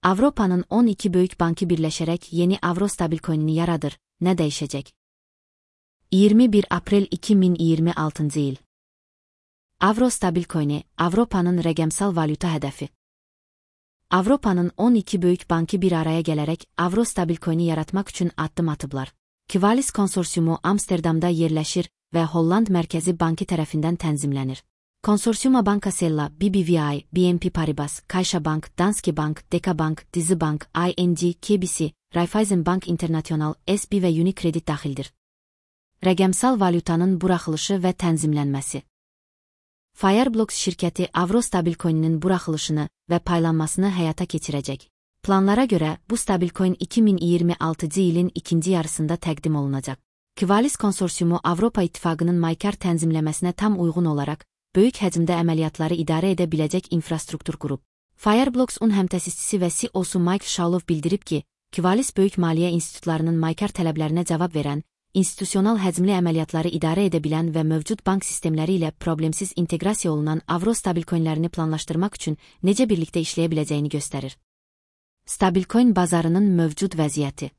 Avropanın 12 böyük bankı birləşərək yeni avro stabilcoinini yaradır. Nə dəyişəcək? 21 aprel 2026 il. Avro stabilcoini, Avropanın rəqəmsal valyuta hədəfi. Avropanın 12 böyük bankı bir araya gələrək avro stabilcoini yaratmaq üçün addım atıblar. Qivalis konsorsiumu Amsterdamda yerləşir və Holland Mərkəzi Bankı tərəfindən tənzimlənir. Konsorsiuma Banca Sella, BBVA, BNP Paribas, CaixaBank, Danske Bank, DekaBank, DiziBank, ING, KBC, Raiffeisen Bank International, SB və Unicredit daxildir. Rəqəmsal valyutanın buraxılışı və tənzimlənməsi. Fireblocks şirkəti avro stabilcoininin buraxılışını və paylanmasını həyata keçirəcək. Planlara görə bu stabilcoin 2026 ilin ikinci yarısında təqdim olunacaq. Qivalis konsorsiumu Avropa İttifaqının maykar tənzimləməsinə tam uyğun olaraq böyük həcmdə əməliyyatları idarə edə biləcək infrastruktur qurub. Fireblocks-un həmtəsisçisi və CEO-su Mike Shalov bildirib ki, Qivalis böyük maliyyə institutlarının maykar tələblərinə cavab verən, institusional həcmli əməliyyatları idarə edə bilən və mövcud bank sistemləri ilə problemsiz inteqrasiya olunan avro stabilcoinlərini planlaşdırmaq üçün necə birlikdə işləyə biləcəyini göstərir. Stabilcoin bazarının mövcud vəziyyəti.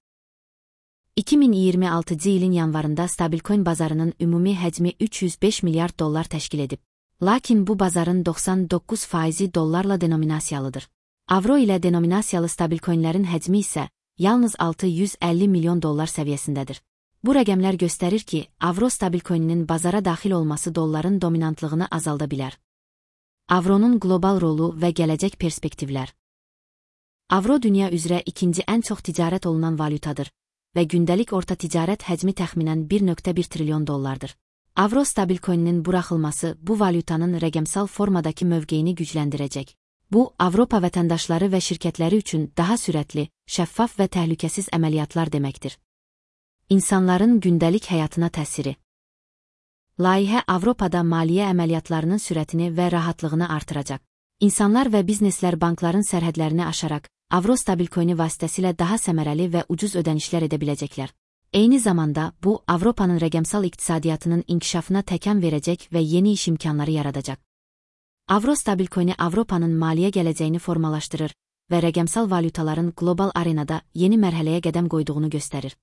2026 ilin yanvarında stabilcoin bazarının ümumi həcmi 305 milyard dollar təşkil edib. Lakin bu bazarın 99% dollarla denominasiyalıdır. Avro ilə denominasiyalı stabilcoinlərin həcmi isə yalnız 650 milyon dollar səviyyəsindədir. Bu rəqəmlər göstərir ki, avro stabilcoininin bazara daxil olması dolların dominantlığını azalda bilər. Avronun qlobal rolu və gələcək perspektivlər. Avro dünya üzrə ikinci ən çox ticarət olunan valyutadır və gündəlik orta ticarət həcmi təxminən 1,1 trilyon dollardır. Avro stabilcoininin buraxılması bu valyutanın rəqəmsal formadakı mövqeyini gücləndirəcək. Bu, Avropa vətəndaşları və şirkətləri üçün daha sürətli, şəffaf və təhlükəsiz əməliyyatlar deməkdir. İnsanların gündəlik həyatına təsiri. Layihə Avropada maliyyə əməliyyatlarının sürətini və rahatlığını artıracaq. İnsanlar və bizneslər bankların sərhədlərini aşaraq, avro stabilcoini vasitəsilə daha səmərəli və ucuz ödənişlər edə biləcəklər. Eyni zamanda, bu, Avropanın rəqəmsal iqtisadiyyatının inkişafına təkan verəcək və yeni iş imkanları yaradacaq. Avro stabilcoini Avropanın maliyyə gələcəyini formalaşdırır və rəqəmsal valyutaların qlobal arenada yeni mərhələyə qədəm qoyduğunu göstərir.